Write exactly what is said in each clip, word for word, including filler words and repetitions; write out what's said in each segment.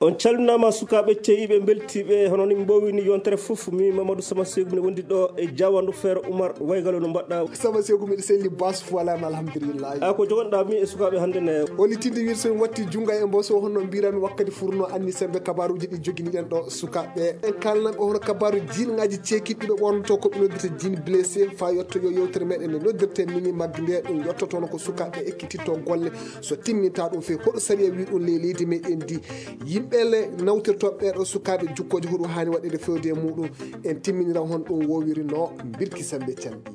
On calminaama, sukaaɓe ceyiiɓe, mbeltiiɓe, hono ni mbowini yontere fof. Mi Mamadou Sama Seeku, mi wondi ɗo e Jawandu Feere Umar Waygalo, no mbaɗɗa? Sama Seeku, miɗo selli, bas fuwalaama, alhamdulillahi. A ko jogonɗa mi e sukaaɓe hannde ne? Oli tinde wiir so mi watti junngo e mbo, so honno mbirami wakkati furno anni sembe kabaruuji ɗi joginiɗen ɗo sukaaɓe. En kalnan ɓe hono kabaaru jiinŋaaji ceekiiɗi ɓe ɓornoto ko ɓe noddirta jean blessé, fa yetto yo yewtere meɗen nde noddirte mini mag nde ɗum yettotono ko sukaaɓe ekkititto golle. So timminta ɗum few, hoɗo sariya wi ɗum ley leydi meɗen ndi? Yimɓe le nawtirtoɓe ɓeɗo sukaaɓe jukkooje, hoɗum haani waɗede fewde e muɗum? En timminira hon ɗum wowiri no Birki Sembe Canɗi.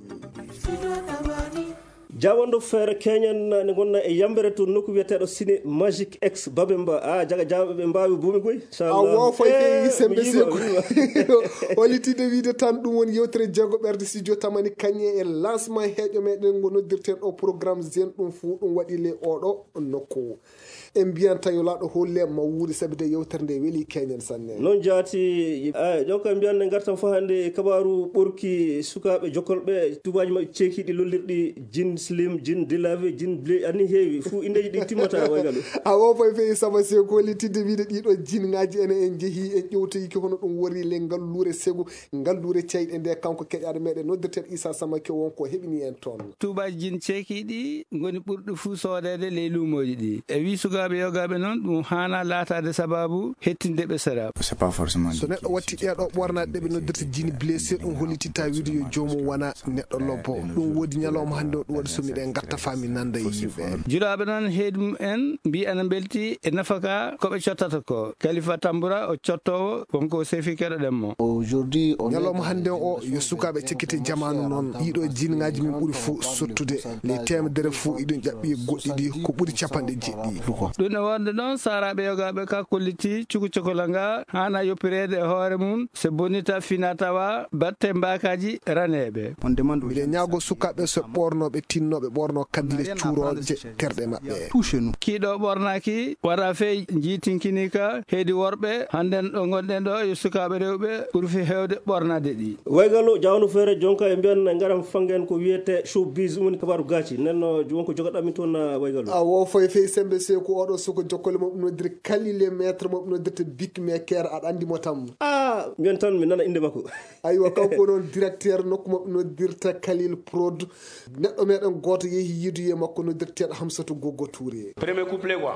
Jawandu Feere Keñan ne gonna e yambere to nokku wiyeteɗo Ciné Magic X Babemba. A jaga jawaɓe ɓe mbawi bumi goy. A wo foy feyi sembe seku. Olitide wiide tan ɗum woni yewtere jeego ɓerde studio tamani kañe e lancement heeƴo meɗen ngo noddirten o programme zen, ɗum fuu ɗum waɗi le oɗo nokku. En mbiyan tawi laaɗo holle ma wuuri, sabi de yewtere nde weli keñen sanne. Noon jaati, a, donc mbiyan ne ngartan fof hannde e kabaaru ɓorki sukaaɓe jokkolɓe tubaaji maɓɓe ceekiiɗi lollirɗi, jin slim, jin dilave, jin ble, ani heewi, fuu indeeji ɗi timmata waygal. A wo foy feyi sama se ko weli tidde wiide ɗiɗo jin ŋaaji ene en jehi en ƴewtoyiki hono ɗum wori le ngalluure segu, ngalluure ceyɗe nde kanko keƴaɗo meɗen noddirten Isa Samake won ko heɓini en toon. Tuubaaji jin ceekiiɗi ngoni ɓurɗi fuu soodeede ley luumooji ɗi. E wii sukaaɓe yogaaɓe noon, ɗum haanaa laataade sabaabu hettinde ɓe sera. C'est pas forcément. So neɗɗo watti ɗeeɗo ɓornaaɗe ɗe ɓe noddirta jin blessé, ɗum hollititta wiide yo joomum wona neɗɗo lobbo. Ɗum woodi ñalawma hannde o, ɗum waɗi so miɗen ngatta faa mi nanda e yimɓe. Julaaɓe noon, heedi mum en mbii ana mbelti e nafaka ko ɓe cottata ko. Kalifa Tambura o cottoowo, wonko o sefi keɗoɗen mo. Aujourd'hui, on est ñalawma hannde o, yo sukaaɓe cekkite jamaanu noon. Ɗiɗo e jinnaaji min ɓuri fof sottude. Ley teemedere fof, iɗum ƴaɓɓi goɗɗi ɗi ko ɓuri capanɗe jeeɗiɗi. Ɗum e wonde noon, saaraaɓe yogaaɓe ka kolliti cuku cokola nga haana yoppireede e hoore mum, so bonita fina tawa batte mbaakaaji raneeɓe. On demande aux miɗen ñaago sukaaɓe so ɓornooɓe tinnooɓe ɓorno kaddile cuurooje terɗe maɓɓe. Touché nous. Kiiɗo ɓornaaki, wata fey njiitinkini ka, heedi worɓe, hannden ɗo ngonɗen ɗo, yo sukaaɓe rewɓe ɓurfi heewde ɓornaade ɗi. Waygallo, jawno feere, jonka e mbiyan ngaram fangen ko wiyete showbiz, ɗum woni kabaaru gaaci. Nen no wonko jogoɗami toon, ah, Waygallo. A wo foy fey sembe seeku oɗo suko jokkole mo ɗum noddiri Kalile maître mo ɗum noddirta Big Maker, aɗa anndi mo tam. Ah, mbiyan tan mi nana innde makko. Aywa, kanko noon directeur nokku mo ɗum noddirta Kalil Prod. Neɗɗo meɗen gooto yehi yiiduye makko noddirteeɗo Hamsatu Goggo Touré. Premier couplet quoi.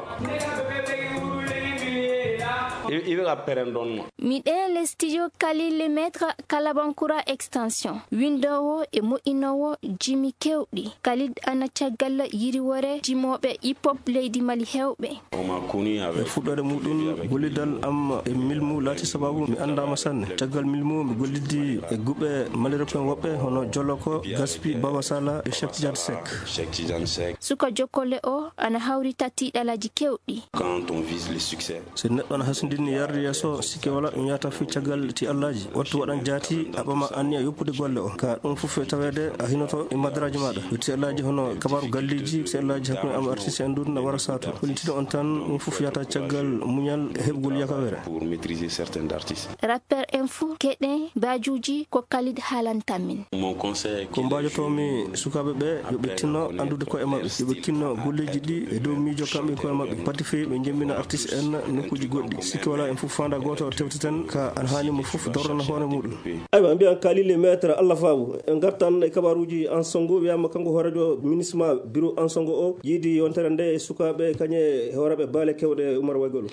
I, i bɛ ka pɛrɛn dɔɔnin ma. Miɗe le studio Khalil le maître Kalabankura extension. Windowo e moƴƴinowo jimi kewɗi. Khalid ana caggal yiriwore jimooɓe hip hop leydi Mali hewɓe. On m'a connu avec. E fuɗɗoode muɗum, gollidal am e Milmu laati sababu mi anndaama sanne. Caggal Milmu, mi gollidi e guɓe Mali rap en woɓɓe hono Joloko, Gaspi, Baba Sala e Cheikh Tidiane Seck. Cheikh Tidiane Seck. Suka jokkole o ana hawri tati ɗalaji kewɗi. Quand on vise le succès. So neɗɗo ana hasindinni yarde yeeso, sikke wala ɗum yahata fii caggal ti Allaaji. Wattu waɗan jaati, a ɓama anniya yoppude golle o. Ka ɗum fof e taweede a hinoto e madaraaji maaɗa. Ti Allaaji hono kabaaru galleeji, ti Allaaji hakkunde am artiste en ɗum na wara sato. Hollitino on tan, ɗum fof yahata caggal muñal e heɓgol yakawere. Pour maîtriser certains artistes. Rappeur en fuu keɗen baajuuji ko Khalid haalanta min. Mon conseil. Ko mbaajotoomi sukaaɓe ɓe, yo ɓe tinno anndude koye maɓɓe, yo ɓe tinno golleeji ɗi e dow miijo kamɓe koye maɓɓe. Pati fii ɓe jemmina artiste en nokkuuji goɗɗi. Sikke wala en fof faanda gooto tewteten ka ana haani mo fof dordana hoore muɗum. Aywa, mbiyan Kalile maître Allah faabu. En ngartan e kabaaruuji Ansongo, wiyama kanko hooreejo ministre ma bureau Ansongo o, yiidi yontere nde e sukaaɓe kañe hooreeɓe baale kewɗe Umar Waygolo.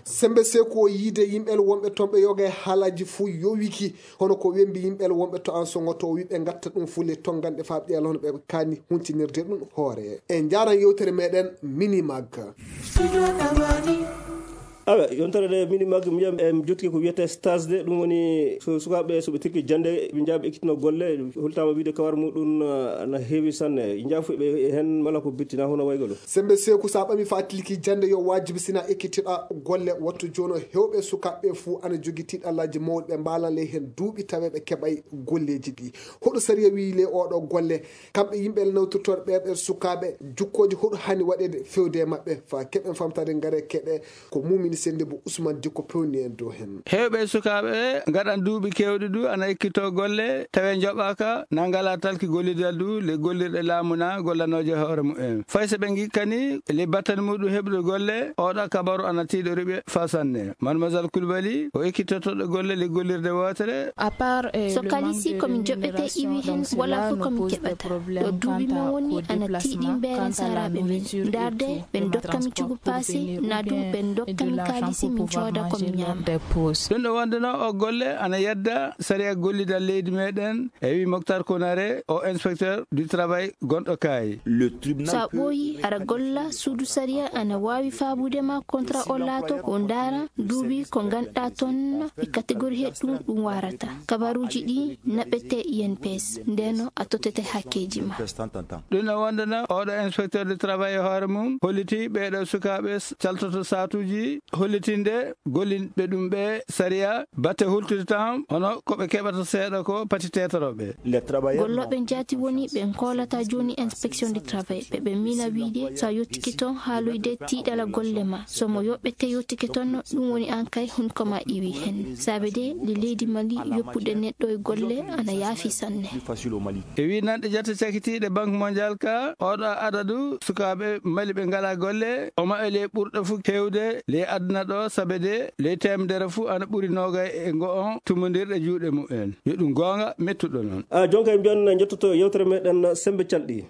Sembe seeku o yiide yimɓe wonɓe toon ɓe yoga e haalaaji fuu yowiki. Hono ko wembi yimɓe wonɓe to Ansongo to o wi ɓe ngatta ɗum fuu le tonnganɗe faa ɓe hono ɓe kaani huncinirde ɗum hoore. En njaaran yewtere meɗen Minimag. Awa, yontere nde Minimag, mi wiya, em, jottike ko wiyete stage de, ɗum woni so sukaaɓe, so ɓe tirki jannde, ɓe njaaɓi ekkitino golle, holtama wiide kawar muɗum, ah, na heewi sanne. Njaafu ɓe heen mala ko bittina hono waygolo. Sembe seeku sa ɓami faa tilki jannde yo waajibi sina ekkitiɗa golle, wattu jooni o hewɓe sukaaɓe fuu ana jogi tiiɗallaaji mawɗi ɓe mbaalan ley heen duuɓi tawe ɓe keɓay golleeji ɗi. Hoɗo sariya wiyi ley oɗo golle? Kamɓe yimɓe nawtirtooɓe ɓe, ɓe sukaaɓe, jukkooje hoɗo haani waɗeede fewde e maɓɓe? Faa keɓen famtaade ngare keɗe ko mumini Sende bo Ousmane Diko pewni en dow hen. Heewɓe sukaaɓe ngaɗan duuɓi keewɗi du ana ekkitoo golle, tawi njoɓaaka, na ngalaa talki gollidal du, le gollirɗe laamu na gollanooje hoore mumen. Fay so ɓe ngikkani, le battane muɗum heɓude golle, oɗa kabaru ana tiiɗori ɓe faa sanne. Mademoiselle Koulibaly, o ekkitotoɗo golle le gollirde wootere. So kalisi ko min joɓete iwi hen, wala fof ko min keɓata. Ɗo duuɓi men woni ana tiiɗi mbeeren saraaɓe men. Ndaarde, ɓe ndokka mi cugu paasi, na du ɓe ndokka mi kaalisi min cooda ko mi ñaama. Ɗum ɗo wonde no o golle ana yedda sariya gollidal leydi meɗen, e wi Moctar Konare, o inspecteur du travail gonɗo Kaayi. Sa ɓooyi, ara golla, suudu sariya ana waawi faabude ma kontra o laato ko ndaara duuɓi ko nganɗa toon e catégorie he ɗum ɗum warata. Kabaruuji ɗi naɓete I N P S, ndeno a totete hakkeeji ma. Ɗum no wondana oɗo inspecteur de travail e hoore mum, holliti ɓeeɗo sukaaɓe s-, caltoto saatuuji, hollitinde gollinɓe ɗum ɓe sariya, batte hultude tan, hono ko ɓe keɓata seeɗa ko pati tetoroɓe. Gollooɓe njaati woni ɓe koolata jooni inspection de travail, ɓe ɓe mina wiide sa yottike toon haaloyde tiiɗala golle ma. So mo yoɓɓete yottike toon, ɗum woni an kay hunko ma iwi hen. Saabe de, le leydi Mali yoppude neɗɗo e golle ana yaafi sanne. E wi nanɗe jate cakitiiɗe Banque Mondiale ka, oɗo adadu sukaaɓe Mali ɓe ngalaa golle, o maɓe le ɓurɗo fu hewde le aduna ɗo, saabe de le temedere fu ana ɓuri noogay e ngo on tumondirɗe juuɗe mumen. Yo ɗum goonga mettuɗo noon. A, jonka en mbiyan jottoto yewtere meɗen Sembe Calɗi.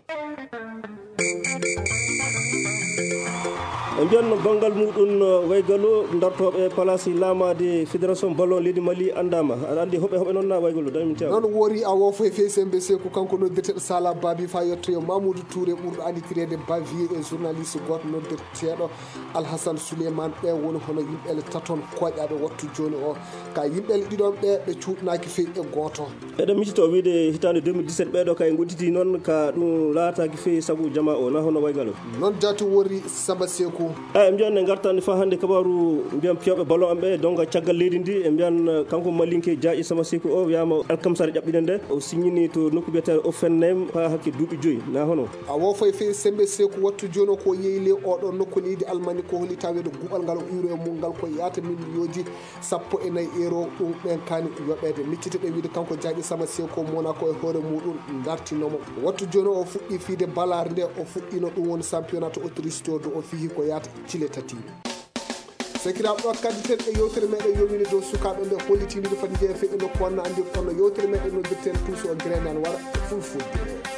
En mbiyan banngal muɗum, uh, waygalo dartooɓe palasi laamaade Fédération Ballon leydi Mali anndaama. Aɗa anndi hoɓe hoɓe noon na waygalo, dañi min teew. Noon wori a wo foy fey Sembe Seku, kanko noddirteɗo Sala Babi fa yettoyo Mamoudou Touré ɓurɗo annditirede Bavier e journaliste gooto noddirteɗo Alhassane Souleymane. Ɓe woni hono yimɓe ele taton koƴaɓe wattu jooni o. Ka yimɓe ele ɗiɗon ɓe, ɓe cuuɗnaaki fey e gooto. Eɗen micito wiide hitaande deux mille dix-sept ɓeeɗo kay ngoɗɗiti noon ka ɗum laataaki fey sabu jama o, na hono waygalo. Noon jaati wori Samba Seku. Eyi, mbiyan ne ngartan fa hannde kabaru mbiyan piyooɓe ballon en ɓe, donc caggal leydi ndi, e mbiyan, eh, kanko Malinke Jaaƴi Samba Seku o wiyaama alkamsare ƴaɓɓinde nde, o signini to nokku biyeteeɗo Offenheim fa hakke duuɓi joyi, na hono? A wo foy fey Sembe Seku wattu jooni o ko yeeyi le oɗo nokku leydi Almani ko holi taweede guɓal ngal o iwre e mum ngal ko yaata min miyoji sappo e nayi euro ɗum ɓen kaani yoɓeede. Miccite ɗe wiide kanko Jaaƴi Sama Seeko Monaco e hoore muɗum dartinomo. Wattu jooni o fuɗɗi fiide balaar nde o fuɗɗino ɗum woni championnat to Autriche to do o fihi ko yaata cile tati. Sakiraaɓe ɗo kaddi ten e yewtere meɗen yowini dow sukaaɓe ɓe hollitini ɗo fati jeeya feƴƴi nokku wanno anndi kono yewtere meɗen noddirten Tuuso o Grenal wara fulfulde.